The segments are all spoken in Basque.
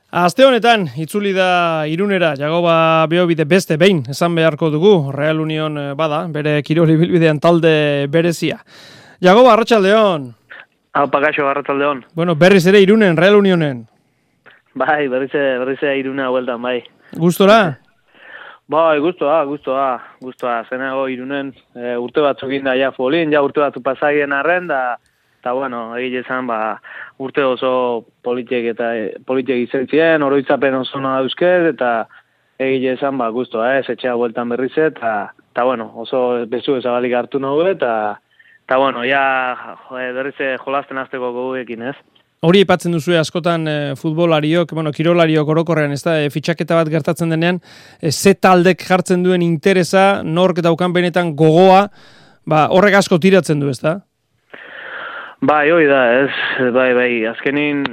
Aste honetan, itzuli da Irunera, Jagoba Beobide beste behin, esan beharko dugu, Real Union bada, bere kirol ibilbidean talde berezia. Jagoba, arratsaldeon. Aupa gaixo, arratsaldeon. Bueno, berriz ere Irunen, Real Unionen. Bai, berriz ere Iruna bueltan, bai. Gustora? Bai, gustoa. Zenago Irunen urte batzukin da ja folin, ja urte batzu pasaien arren, eta bueno, egile zan, urte oso politiek izan ziren, oroitzapen oso nahi dauzket, eta egile zan, gustoa, etxea bueltan berriz, eta bueno, oso bezu ezabalik hartu nahu, eta bueno, ja berriz jolasten hasteko goguekin, ez? Hori aipatzen duzu askotan futbolariok, kirolariok orokorrean, ez da, fitxaketa bat gertatzen denean, ze taldek jartzen duen interesa, nork daukan benetan gogoa, horrek asko tiratzen du, ez da? Bai, hoi da, ez, bai, azkenin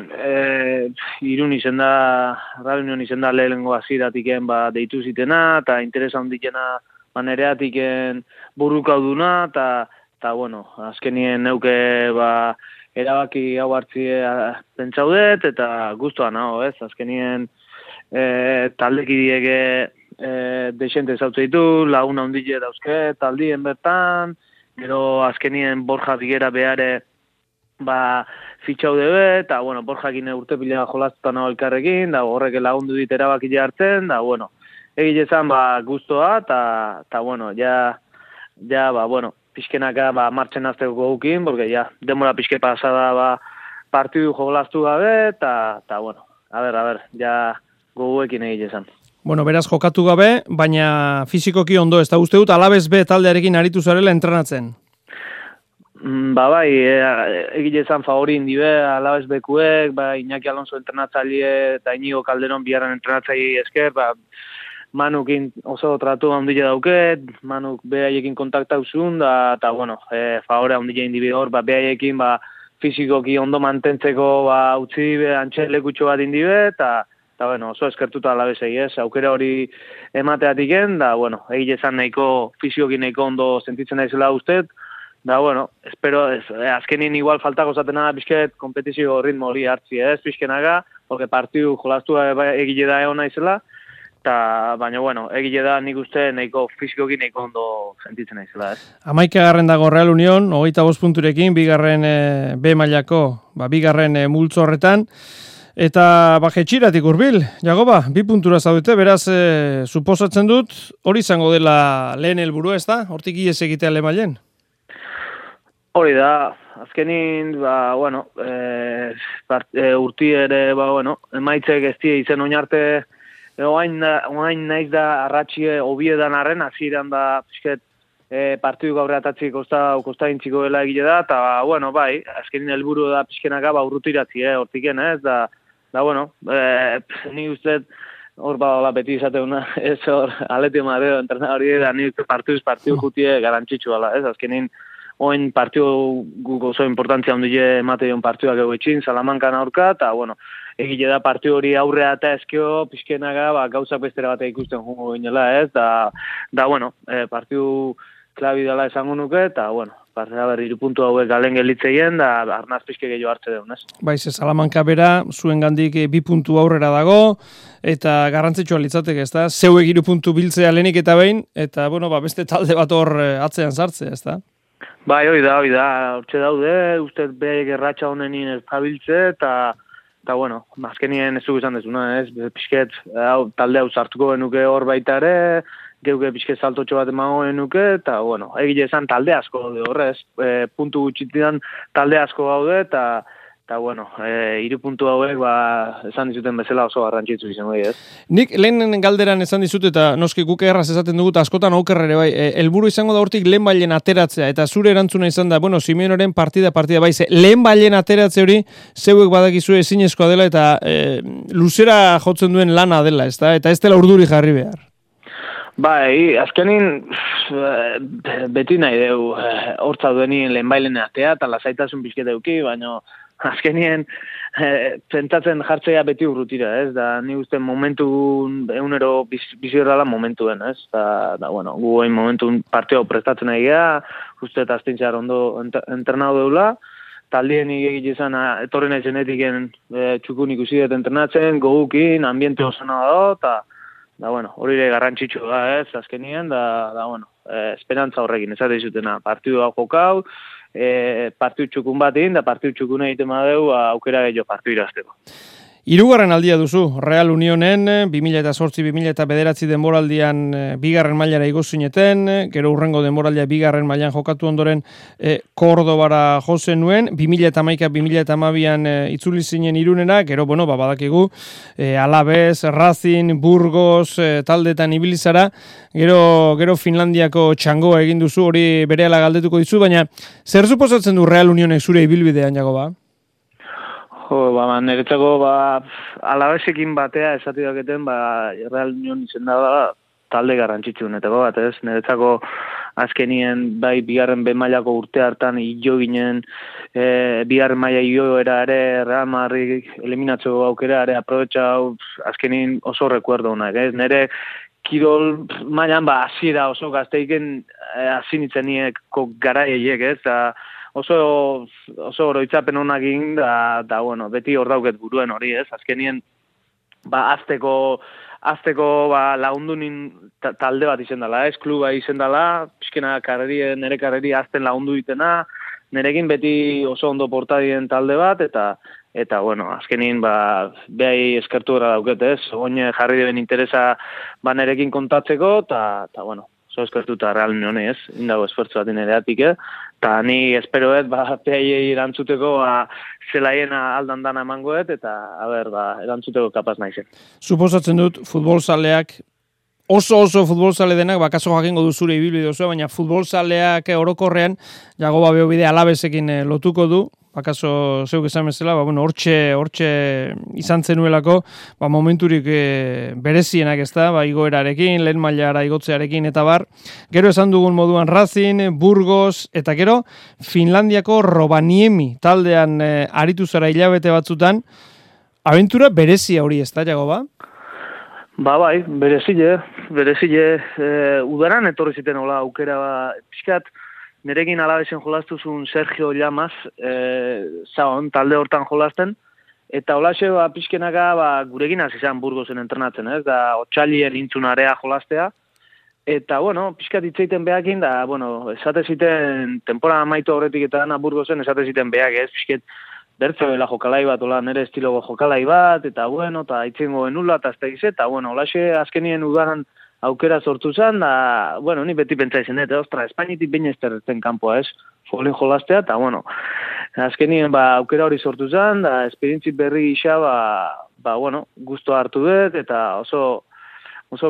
Irun izen da, Real Union izen da lehenengo aziratiken deitu zitena, eta interesa ondikena nereatiken burukauduna, eta bueno, azkenien neuke erabaki hau hartzie pentsaudet, eta guztuan hau, ez, azkenien taldekidieke desente zautze ditu, laguna ondile dauzke, taldien bertan, gero azkenien Borja Bigera behare fitxaude eta bueno, Borjakin urte pila jolastutan hau elkarrekin, da horrek lagundu dit erabaki hartzen, da bueno, egile zan guztoa, eta bueno, ja, bueno, pixkenaka martxen azteko gogukin, porque ja, demora pixke pasada partidu jolastu gabe, eta bueno, a ber, ja goguekin egile zan. Bueno, beraz jokatu gabe, baina fizikoki ondo, ez da uste dut, Alabez B taldearekin aritu zarela entrenatzen. Bai, egile zan favori indibe, Alabez Bekuek, Iñaki Alonso entrenatzaile eta Inigo Calderon biharren entrenatzaile esker, Manukin oso tratu handile dauket, Manuk behaiekin kontaktauzun, eta bueno, favore handile indibe hor, behaiekin fizikoki ondo mantentzeko utzi antxelekutxo bat indibe, eta bueno, oso eskertuta Alabezei, ez, aukera hori emateatiken, da bueno, egile zan nahiko, fizikoki nahiko ondo sentitzen daizela ustez, da, bueno, espero, azkenin igual faltako zatena bizket kompetizio ritmo hori hartzi, ez, bizkenaga, porque partidu jolastu egile da egon naizela, baina, bueno, egile da nik uste nahiko fizikoki nahiko ondo sentitzen naizela, ez. 11. dago Real Union, 25 punturekin, bigarren B mailako, bigarren multzo horretan, eta jetxiratik hurbil, Jagoba, 2 puntura zaudete, beraz, suposatzen dut, hori izango dela lehen helburua, ez da? Hortik ies egitea lehen mailen? Hori da, azkenin, bueno, urti ere, bueno, emaitzek ez die izen oinarte, oain naiz da arratxie obiedan arren, aziran da, pisket, partidu gaurreatatzi kostaintziko dela egile da, eta, bueno, bai, azkenin helburu da piskenaka urrutiratzi, hortiken, ez, da, bueno, ni uste, hor beti izateuna, ez hor, aleti mareo, entrenadori, da, ni uste partidu jutie garantxitzu ala, ez, azkenin, oin partidu guk oso importantzia ondile emateon partiduak egoetxin, Salamankan aurka, eta, bueno, egile da partidu hori aurrea eta ezkio, pixkenaga, gauzak bestera batea ikusten jungo ginela, ez, da, bueno, partidu klabi dela esango nuke, eta, bueno, 3 puntu hauek galen gelitzeien, da, arnaz pixke gehiago hartze deun, ez? Baiz, Salamanka bera, zuen gandik 2 puntu aurrera dago, eta garrantzitsua litzateke, ez da? Zeuek 3 puntu biltzea lehenik eta behin, eta, bueno, beste talde bat hor atzean sartzea, ez da? Bai, hori da, hortxe daude, uste behek erratxa honenien ez zabiltze, eta bueno, azkenien ez dugu izan dezuna, ez, pixket, talde hau sartuko genuke hor baita ere, geuke pixket saltotxo bat emango genuke, eta bueno, egile esan talde asko daude horrez, puntu gutxitidan talde asko gaude, eta bueno, 3 puntu hauek, esan dizuten bezala oso garrantzitsu izan bai, ez? Nik lehen galderan esan dizut, eta noski guk erraz esaten dugut, askotan aukerrere bai, helburu izango da hortik lehen bailen ateratzea, eta zure erantzuna izan da, bueno, Simeoneren partida bai, lehen bailen ateratze hori, zeuek badakizu ezinezkoa dela, eta luzera jotzen duen lana dela, ez da? Eta ez dela urduri jarri behar. Bai, azkenin beti nahi deu hortza duenien lehen bailen atea, eta lasaitasun pixket euki, baina azkenien pentsatzen jartzea beti urrutira, ez? Da, ni uste momentu egunero bizi horrela momentuen, ez? Da, bueno, gu momentu partio prestatzen nahi geha, uste eta aztintxar ondo entrenau deula, taldien egite izan, etorri nahi zenetiken txukun ikusi dut entrenatzen, gogukin, ambiente osana da, eta bueno, hori ere garrantzitsu da, ez, azkenien, da bueno, esperantza horrekin, ez dizutena, partidu hau jokau, partidu txukun batin, da partidu txukun egiten badeu, aukera gehiago partidu irazteko. Hirugarren aldia duzu, Real Unionen, 2008-2009 denboraldian bigarren mailara igo zineten, gero urrengo denboraldia bigarren mailan jokatu ondoren Kordobara jo zenuen, 2011-2012an itzuli zinen Irunera, gero, bueno, badakigu, Alavés, Racing, Burgos, taldetan ibilizara, gero Finlandiako txangoa egin duzu, hori berehala galdetuko dizu, baina zer suposatzen du Real Unionek zure ibilbidean, Jagoba? Niretzako, Alavesekin batea esati daketen, Real Union izen da talde garrantzitsu neteko bat, ez? Niretzako azkenien, bai, bigarren B-mailako urte hartan hilo ginen, bigarren maila hilioera ere, Real Madrid eliminatzeko aukera ere, aprobetxau, azkenin oso rekuerdo honak, ez? Nire kirol mailan, hasiera oso gazteiken azinitzenieko garaiek, ez? Oso oroitzapen honak egin, da bueno, beti hor dauket buruen hori, ez? Azkenien, azteko lagundunin talde bat izen dela, ez? Kluba izen dela, pixkena nire karreri azten lagundu ditena, nirekin beti oso ondo portadien talde bat, eta bueno, azkenin, behai eskertu gara dauket, ez? Oine jarri deben interesa nirekin kontatzeko, eta bueno, oso eskertuta Real Union, ez? Indago esfortzu bat inereatik, eta ni esperoet, behai erantzuteko, zelaien aldan dana emangoet, eta, erantzuteko kapaz naizen. Suposatzen dut, futbolzaleak, oso futbolzale denak, kaso jakingo duzure ibilbide oso, baina futbolzaleak orokorrean, Jagoba Beobide Alavesekin lotuko du, bakaso zeuk esan bezala, hortxe izan zenuelako, momenturik berezienak ez da, igoerarekin, lehen mailara igotzearekin eta bar. Gero esan dugun moduan Racing, Burgos, eta gero Finlandiako Rovaniemi taldean aritu zara hilabete batzutan. Abentura berezia hori ez da, Jagoba? Bai, berezile, udaran etorri ziten hola aukera, pixkat, nerekin Alavesen jolastuzun Sergio Llamas, talde hortan jolasten, eta holaxe pixkenaka gurekin hasi izan Burgosen entrenatzen, ez? Da, otxailien intzunarea jolastea, eta, bueno, pixkat itzeiten behakin, da, bueno, esate ziten, temporada amaitu horretik eta dana Burgosen, esate ziten behak, ez? Pixket, bertzoela jokalai bat, nere estilogo jokalai bat, eta, bueno, eta itzengo enula, eta, bueno, holaxe azkenien udaran aukera sortu zen, da, bueno, ni beti pentsa izan dut, Espainitik baina ez terretzen kanpoa, ez? Folin jolastea, eta, bueno, azkenien, aukera hori sortu zen, da, esperientzi berri isa, bueno, guztua hartu dut, eta oso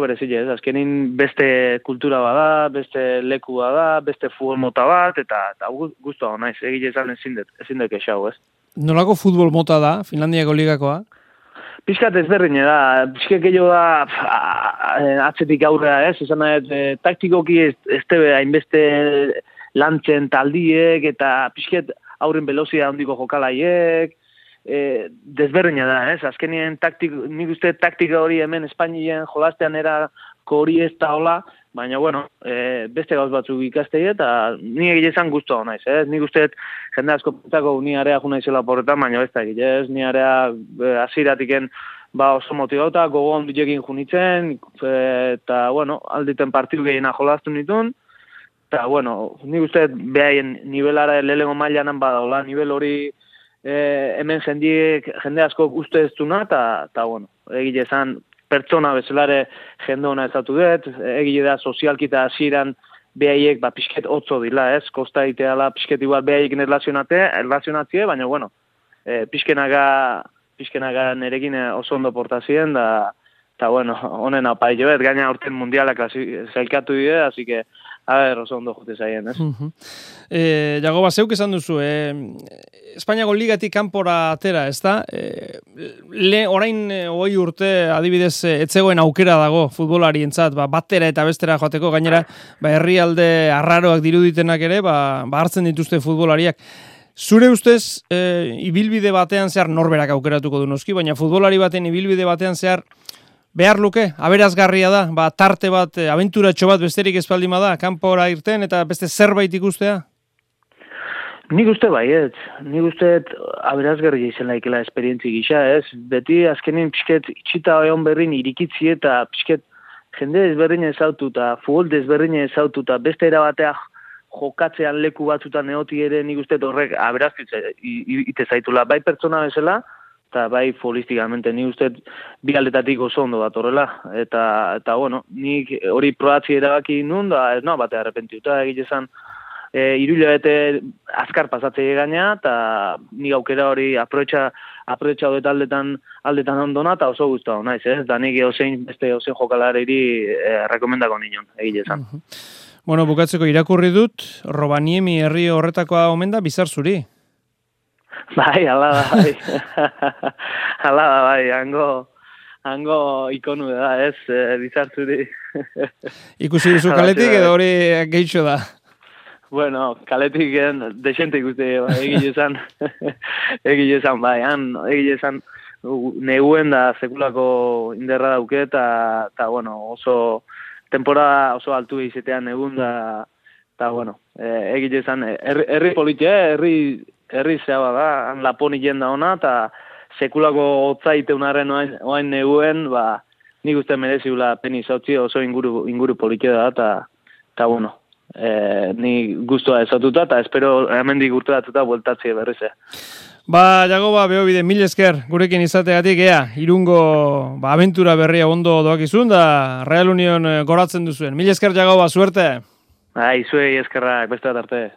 berezile, ez? Azkenin beste kultura bada, beste leku bada, beste futbol mota bat, eta guztua naiz, egile izan ezin dut kexau, ez? Nolako futbol mota da, Finlandiako ligakoa? Piskat ezberdin da, piskat gehiago da atzetik aurrera, ez? Esan nahi, taktikoki ez tebe hainbeste lantzen taldiek, eta piskat aurren velozia handiko jokalaiek, desberdina da, ez? Azkenien nik uste taktika hori hemen Espainien jolastean erako hori ez da hola, baina, bueno, beste gauz batzuk ikastei eta ni egile izan guztua naiz, ez? Nik uste jende asko pentsako ni area jo naizela porretan, baina ez da egile, ez? Ni area hasieratiken oso motivauta, gogo ondiekin junitzen, eta, bueno, alditen partidu gehiena jolastu nituen, eta, bueno, nik uste behaien nivelara lehengo mailanan badaola, nivel hori hemen jende asko uste ez duna, eta, bueno, egile izan pertsona bezalare jende hona ezatu dut, egile da sozialki eta hasieran behaiek pixket otzo dila, ez? Kosta iteala pixket igual behaiekin erlazionatzie, baina, bueno, pixkenaga nerekin oso ondo portazien, eta, bueno, honen apai joet, gaina aurten mundialak zailkatu dide, así que, oso ondo jote zaien, ez? Jagoba, zeuk esan duzu, Espainiako ligatik kanpora atera, ez da? Orain 20 urte adibidez etzegoen aukera dago futbolarientzat, batera eta bestera joateko, gainera herrialde arraroak diruditenak ere, hartzen dituzte futbolariak. Zure ustez, ibilbide batean zehar norberak aukeratuko du noski, baina futbolari baten ibilbide batean zehar behar luke, aberazgarria da, tarte bat, abenturatxo bat besterik espaldima da, kanpora irten eta beste zerbait ikustea? Nik uste baiet, nik uste aberazgarria izan laikela esperientzi gisa, ez? Beti azkenin pixket itxita egon berrin irikitzi eta pixket jende ezberdin ezautu eta futbol ezberdin ezautu eta beste erabatea jokatzean leku batzutan eoti ere nik uste horrek aberazkitze ite zaitula, bai pertsona bezala, eta bai futbolistikamente nik uste bi aldetatik oso ondo bat horrela, eta bueno, nik hori probatzi erabaki nun, da ez no, batea arrepentiuta egitezan, irulabete azkar pasatzei gaina, eta nik aukera hori aprobetxa dut aldetan ondona, eta oso guztua naiz, ez? Da nik beste ozein jokalariri rekomendako nion, egitezan. Bueno, bukatzeko irakurri dut, Robaniemi herri horretakoa omen da, Bizar Zuri. Bai, ala da, bai. Ala da, bai, hango ikonu da, ez, Bizar Zuri. Ikusi duzu kaletik edo hori gehitxo da? Bueno, kaletik desente ikuste egile esan, bai, egile neguen da sekulako inderra dauke, eta bueno, oso temporada oso altu izatean egun da, eta bueno, egile esan, herri politia, herri zehaba da, han Laponi jenda ona, eta sekulako otzaite unarren oain neguen, ba, nik uste mereziula peni zautzi oso inguru politia da, eta bueno, ni guztua ezatuta, eta espero hemendik urteratuta bueltatzi berrize. Ba, Jagoba, behobide, mil esker gurekin izategatik, irungo abentura berria ondo doakizun, da Real Union goratzen duzuen. Mil esker, Jagoba, suerte! Zuei eskerrak, beste bat arte.